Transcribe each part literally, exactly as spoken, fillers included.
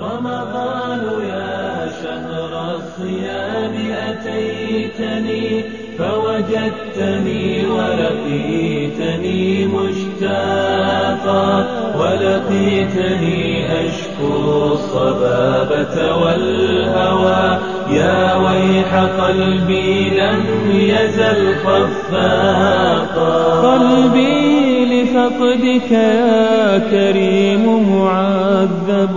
رمضان يا شهر الصيام أتيتني فوجدتني ولقيتني مشتاقا ولقيتني أشكو الصبابة والهوى يا ويح قلبي لم يزل خفاقا قلبي لفقدك يا كريم معذب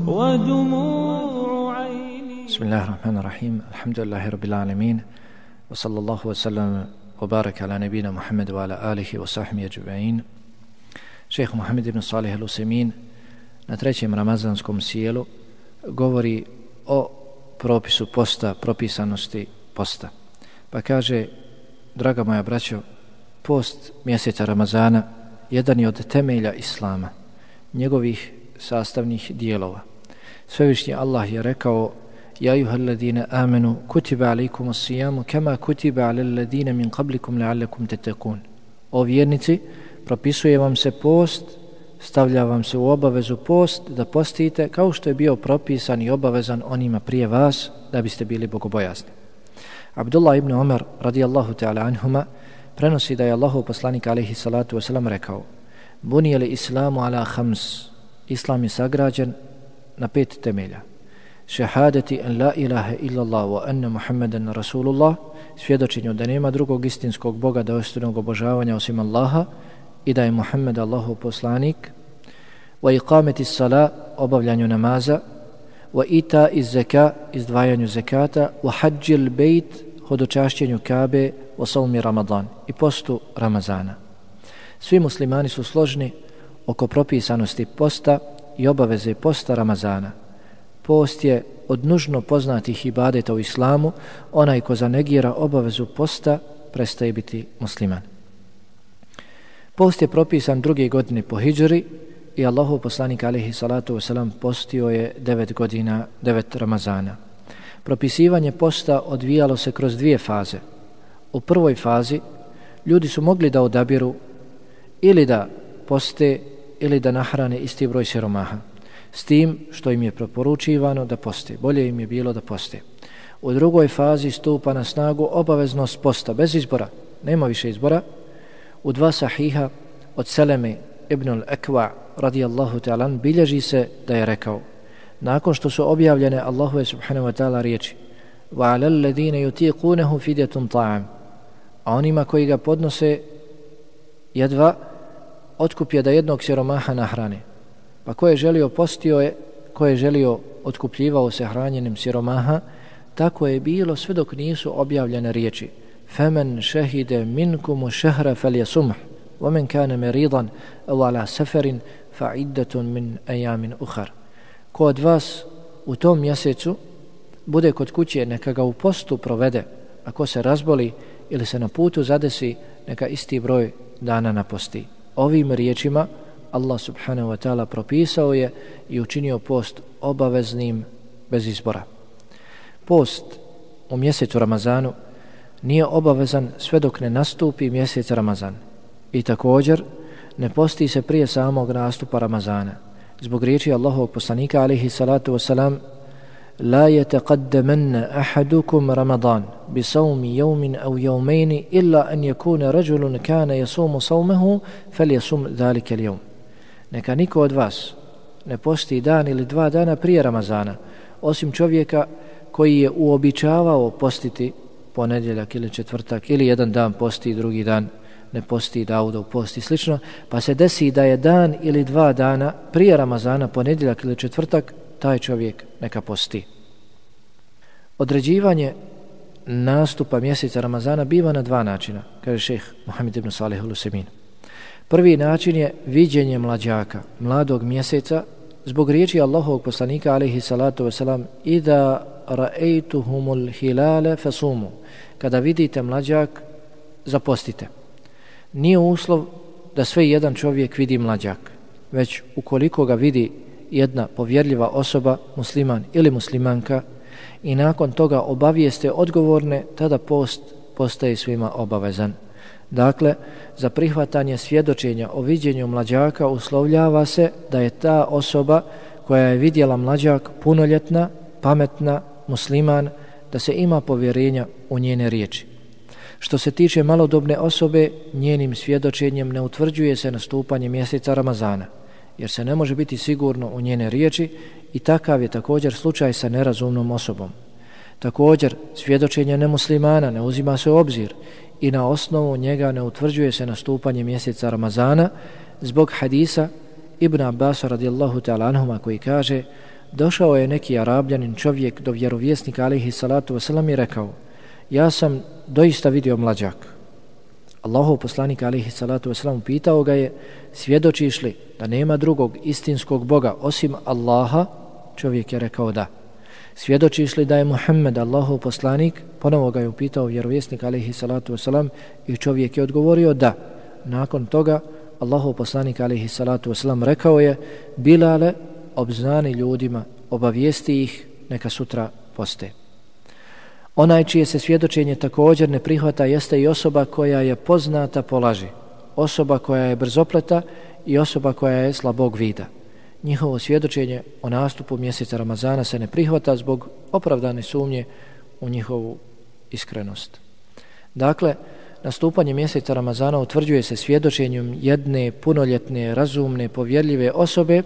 ودموع عيني. بسم الله الرحمن الرحيم. الحمد لله رب العالمين وصلى الله وسلم وبارك على نبينا محمد وعلى آله وصحبه أجمعين. Šejh Muhammed ibn Salih al-Usejmin na trećem ramazanskom sjelu govori o propisu posta, propisanosti posta. Pa kaže, draga moja braćo, post mjeseca Ramazana jedan je od temelja Islama, njegovih sastavnih dijelova. Svevišnji Allah je rekao: Ja ayyuhalladhina amanu kutiba alaykumus siyamu kama kutiba alal ladina min qablikum la'allakum tattaqun. O vjernici, propisuje vam se post, stavlja vam se u obavezu post da postite kao što je bio propisan i obavezan onima prije vas da biste bili bogobojazni. Abdullah ibn Umar radijallahu ta'ala anhuma prenosi da je Allahov poslanik alejhi salatu vesselam rekao: Buniyal islamu ala khams. Islam je sagrađen na pet temelja: šehadeti en la ilaha illallah wa anna Muhammadan rasulullah, svjedočenju da nema drugog istinskog Boga dostojnog obožavanja osim Allaha i da je Muhammed Allahov poslanik, wa iqameti sala, obavljanju namaza, wa ita iz zeka, izdvajanju zekata, wa hađil bejt, hodočašćenju Kabe, wa savmi Ramadan, i postu Ramazana. Svi muslimani su složni oko propisanosti posta i obaveze posta Ramazana. Post je od nužno poznatih ibadeta u islamu. Onaj ko zanegira obavezu posta prestaje biti musliman. Post je propisan druge godine po hidžri i Allahov poslanik alejhi salatu vesselam postio je devet godina, devet Ramazana. Propisivanje posta odvijalo se kroz dvije faze. U prvoj fazi ljudi su mogli da odabiru ili da poste ili da nahrane isti broj siromaha, s tim što im je preporučivano da poste. Bolje im je bilo da poste. U drugoj fazi stupa na snagu obaveznost posta bez izbora. Nema više izbora. U dva sahiha od Seleme ibn al-Akwa radijallahu ta'ala bilježi se da je rekao, nakon što su objavljene Allahove subhanahu wa ta'ala riječi: wa alal ladina yutiqunahu fidyatun ta'am, a onima koji ga podnose jedva otkup je da jednog siromaha nahrane. Pa ko je želio postio je, ko je želio otkupljivao se hranjenim siromaha. Tako je bilo sve dok nisu objavljene riječi: فَمَنْ شَهِدَ مِنْكُمُ شَهْرَ فَلْيَصُمْهُ وَمَنْ كَانَ مَرِيضًا أَوْ عَلَى سَفَرٍ فَعِدَّةٌ مِنْ أَيَامٍ أُخَرٍ. Ko od vas u tom mjesecu bude kod kuće, neka ga u postu provede, a ko se razboli ili se na putu zadesi, neka isti broj dana naposti. Ovim riječima Allah subhanahu wa ta'ala propisao je i učinio post obaveznim bez izbora. Post u mjesecu Ramazanu nije obavezan sve dok ne nastupi mjesec Ramazan. I također ne posti se prije samog nastupa Ramazana. Zbog riječi Allahovog poslanika alejhi salatu wasalam: La yataqaddamanna ahadukum Ramadan bi sawmi yawmin aw yawmayn illa an yakuna rajulun kana yasumu sawmahu falyasum dhalika al-yawm. Neka niko od vas ne posti dan ili dva dana prije Ramazana, osim čovjeka koji je uobičavao postiti ponedjeljak ili četvrtak, ili jedan dan posti, drugi dan ne posti, Daudov posti, slično, pa se desi da je dan ili dva dana prije Ramazana, ponedjeljak ili četvrtak, taj čovjek neka posti. Određivanje nastupa mjeseca Ramazana biva na dva načina, kaže šejh Muhammed ibn Salih al-Usejmin. Prvi način je viđenje mlađaka, mladog mjeseca, zbog riječi Allahovog poslanika alejhi salatu vesselam: Ida ra'aytuhumul hilala fasumu. Kada vidite mlađak, zapostite. Nije uslov da sve jedan čovjek vidi mlađak, već ukoliko ga vidi jedna povjerljiva osoba, musliman ili muslimanka, i nakon toga obavijeste odgovorne, tada post postaje svima obavezan. Dakle, za prihvatanje svjedočenja o viđenju mlađaka uslovljava se da je ta osoba koja je vidjela mlađak punoljetna, pametna, musliman, da se ima povjerenja u njene riječi. Što se tiče malodobne osobe, njenim svjedočenjem ne utvrđuje se nastupanje mjeseca Ramazana, jer se ne može biti sigurno u njene riječi i takav je također slučaj sa nerazumnom osobom. Također, svjedočenje nemuslimana ne uzima se u obzir i na osnovu njega ne utvrđuje se nastupanje mjeseca Ramazana zbog hadisa Ibn Abbasa radijallahu ta'ala anhuma koji kaže: došao je neki Arabljanin čovjek do vjerovjesnika alejhi salatu vesselam i rekao: ja sam doista vidio mlađak. Allahov poslanik alejhi salatu vesselam pitao ga je: svjedočiš li da nema drugog istinskog Boga osim Allaha? Čovjek je rekao da. Svjedočiš li da je Muhammed Allahov poslanik? Ponovo ga je upitao vjerovjesnik alejhi salatu vesselam i čovjek je odgovorio da. Nakon toga Allahov poslanik alejhi salatu vesselam rekao je: Bilale, obznani ljudima, obavijesti ih, neka sutra poste. Onaj čije se svjedočenje također ne prihvata jeste i osoba koja je poznata po laži, osoba koja je brzopleta i osoba koja je slabog vida. Njihovo svjedočenje o nastupu mjeseca Ramazana se ne prihvata zbog opravdane sumnje u njihovu iskrenost. Dakle, nastupanje mjeseca Ramazana utvrđuje se svjedočenjem jedne punoljetne, razumne, povjerljive osobe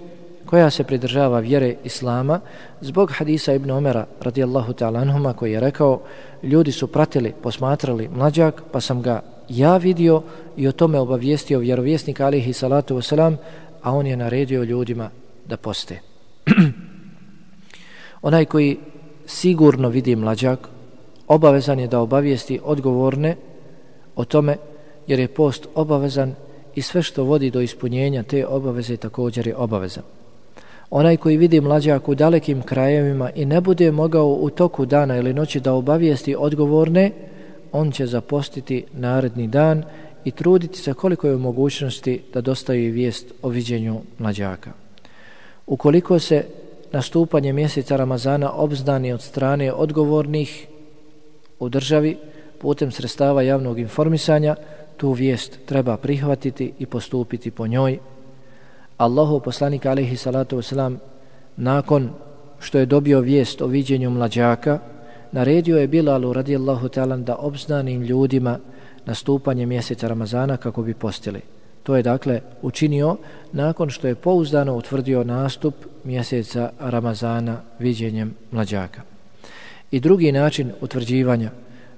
koja se pridržava vjere Islama zbog hadisa Ibn Omera radijallahu ta'ala anhuma koji je rekao: ljudi su pratili, posmatrali mlađak, pa sam ga ja vidio i o tome obavijestio vjerovjesnik alejhi salatu vesselam, a on je naredio ljudima da poste. Onaj koji sigurno vidi mlađak, obavezan je da obavijesti odgovorne o tome, jer je post obavezan i sve što vodi do ispunjenja te obaveze također je obavezan. Onaj koji vidi mlađak u dalekim krajevima i ne bude mogao u toku dana ili noći da obavijesti odgovorne, on će zapostiti naredni dan i truditi se koliko je u mogućnosti da dostavi vijest o viđenju mlađaka. Ukoliko se nastupanje mjeseca Ramazana obznani od strane odgovornih u državi putem sredstava javnog informisanja, tu vijest treba prihvatiti i postupiti po njoj. Allahov poslanik alejhi salatu vesselam nakon što je dobio vijest o viđenju mlađaka, naredio je Bilalu radijallahu ta'ala da obznani ljudima nastupanje mjeseca Ramazana kako bi postili. To je dakle učinio nakon što je pouzdano utvrdio nastup mjeseca Ramazana viđenjem mlađaka. I drugi način utvrđivanja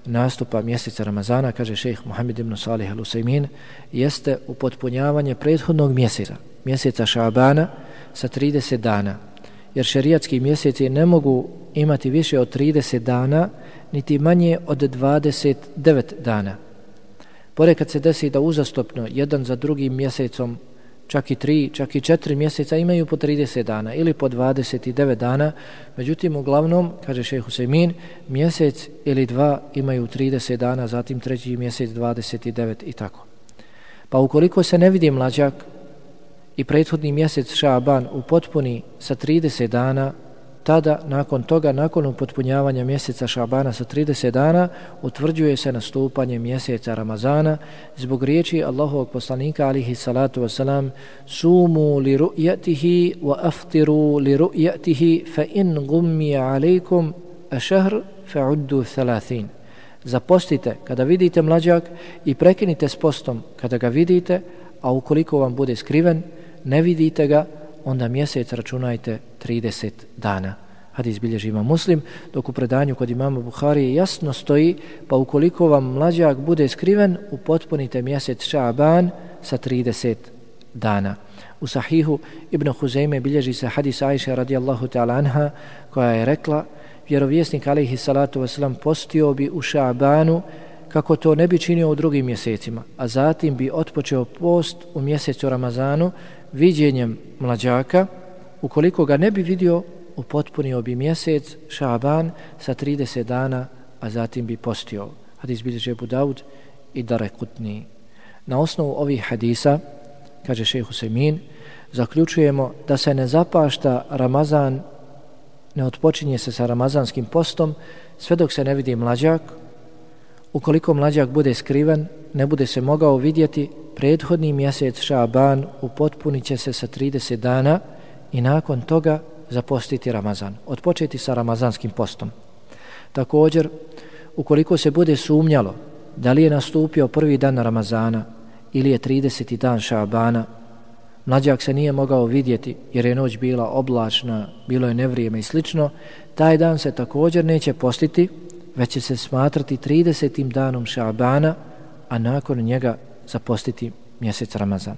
nastupa mjeseca Ramazana, kaže šejh Muhammed ibn Salih al-Usaymin, jeste upotpunjavanje prethodnog mjeseca, mjeseca Šabana sa trideset dana, jer šerijatski mjeseci ne mogu imati više od trideset dana, niti manje od dvadeset devet dana. Ponekad se desi da uzastopno jedan za drugim mjesecom, čak i tri, čak i četiri mjeseca imaju po trideset dana ili po dvadeset devet dana, međutim uglavnom, kaže šejh Usaymin, mjesec ili dva imaju trideset dana, zatim treći mjesec dvadeset devet i tako. Pa ukoliko se ne vidi mlađak i prethodni mjesec Šaban upotpuni sa trideset dana, tada nakon toga, nakon upotpunjavanja mjeseca Šabana sa trideset dana, utvrđuje se nastupanje mjeseca Ramazana zbog riječi Allahovog poslanika alejhi salatu vesselam: sumu li ru'yatihi wa aftiru li ru'yatihi fa in gummi alaykum ash-shahr fa'uddu thalathin. Zapostite kada vidite mlađak i prekinite s postom kada ga vidite, a ukoliko vam bude skriven, ne vidite ga, onda mjesec računajte trideset dana. Hadis bilježi Imam Muslim, dok u predanju kod imama Buhari jasno stoji: pa ukoliko vam mlađak bude skriven, upotpunite mjesec Šaban sa trideset dana. U Sahihu Ibn Huzeyme bilježi se hadis Ajše radijallahu ta'ala anha koja je rekla: vjerovjesnik alejhi salatu vesselam postio bi u Šabanu kako to ne bi činio u drugim mjesecima, a zatim bi otpočeo post u mjesecu Ramazanu viđenjem mlađaka. Ukoliko ga ne bi vidio, upotpunio bi mjesec Šaban sa trideset dana, a zatim bi postio. Hadis bilježi Abu Daud i Darekutni. Na osnovu ovih hadisa, kaže šejh Usaymin, zaključujemo da se ne zapašta Ramazan, ne otpočinje se sa ramazanskim postom sve dok se ne vidi mlađak. Ukoliko mlađak bude skriven, ne bude se mogao vidjeti, prethodni mjesec Šaban upotpunit će se sa trideset dana i nakon toga zapostiti Ramazan, odpočeti sa ramazanskim postom. Također, ukoliko se bude sumnjalo da li je nastupio prvi dan Ramazana ili je trideseti dan Šabana, mlađak se nije mogao vidjeti jer je noć bila oblačna, bilo je nevrijeme i slično, taj dan se također neće postiti, već će se smatrati tridesetim danom Šabana, a nakon njega zapostiti mjesec Ramazan.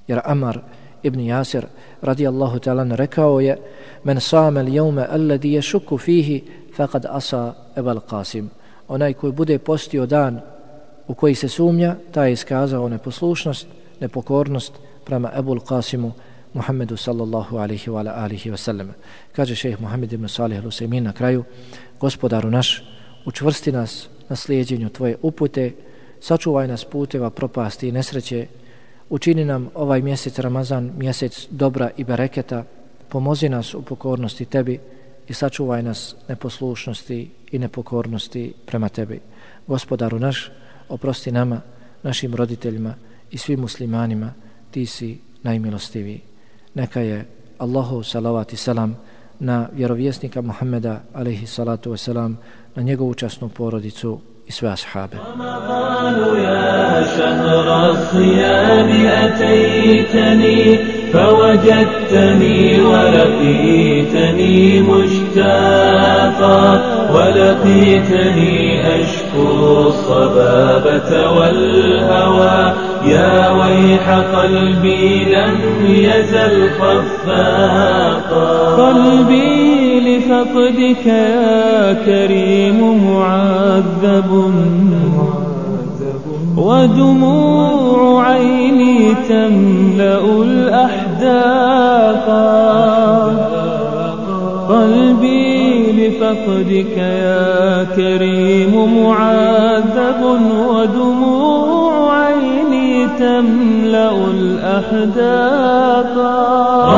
Jer Amar ibn Jasir radijallahu ta'ala rekao je: men sama al-yawma alladhi yashukku fihi faqad asa Abul Qasim. Onaj koji bude postio dan u koji se sumnja, taj je iskazao neposlušnost, nepokornost prema Abul Qasimu Muhammedu sallallahu alaihi wa alihi wa sallam. Kaže šejh Muhammed ibn Salih al-Usaymin na kraju: Gospodaru naš, učvrsti nas na slijedjenju tvoje upute, sačuvaj nas puteva propasti i nesreće, učini nam ovaj mjesec Ramazan mjesec dobra i bereketa, pomozi nas u pokornosti tebi i sačuvaj nas neposlušnosti i nepokornosti prema tebi. Gospodaru naš, oprosti nama, našim roditeljima i svim muslimanima, ti si najmilostiviji. Neka je Allahu salavat i salam na vjerovjesnika Muhammeda alaihi salatu wasalam, na njegovu časnu porodicu i sve ashabe. رمضان يا شهر الصيام أتيتني فوجدتني ولقيتني مشتاقا ولقيتني أشكو الصبابة والهوى يا ويح قلبي لم يزل خفاقا قلبي لفقدك يا كريم معذب ودموع عيني تملأ الأحداق قلبي لفقدك يا كريم معذب ودموع عيني تملأ الأحداق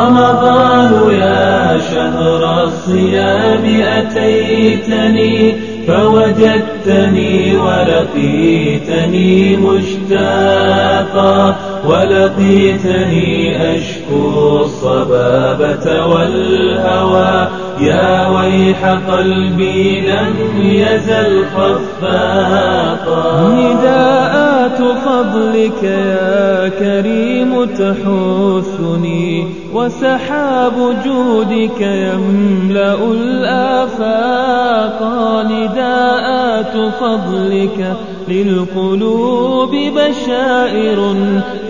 رمضان يا شهر الصيام أتيتني فوجدتني ولقيتني مشتاقا ولقيتني أشكو الصبابة والهوى يا ويح قلبي لم يزل خفاقا نداءات فضلك يا كريم تحثني وسحاب جودك يملأ الآفاق نداءات فضلك للقلوب بشائر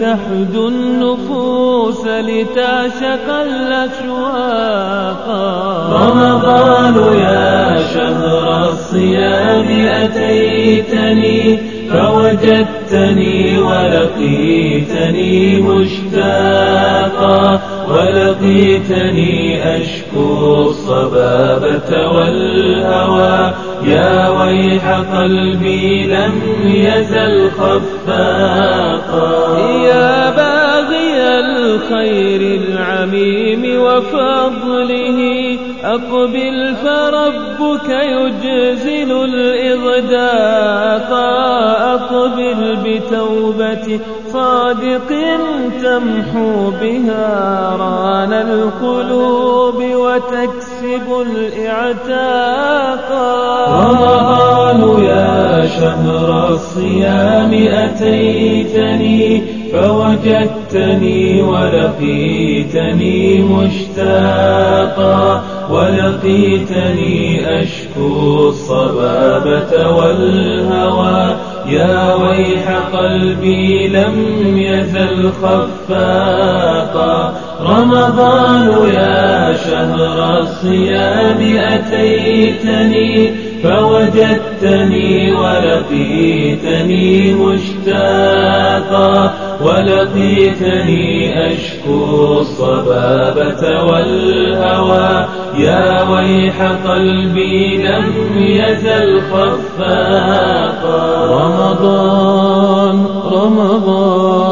تحدو النفوس لتعشق الأشواق رمضان يا شهر الصيام أتيتني فوجدتني ولقيتني مشتاقا ولقيتني أشكو الصبابة والهوى يا ويح قلبي لم يزل خفاقا يا باغي الخير العميم وفضله أقبل فربك يجزل الإغداق أقبل بتوبة صادق تمحو بها ران القلوب وتكسب الإعتاق رمضان يا شهر الصيام أتيتني فوجدتني ولقيتني مشتاقا ولقيتني أشكو الصبابة والهوى يا ويح قلبي لم يزل خفاقا رمضان يا شهر الصيام أتيتني فوجدتني ولقيتني مشتاقا ولقيتني أشكو الصبابة والهوى يا ويح قلبي لم يزل خفاقا رمضان رمضان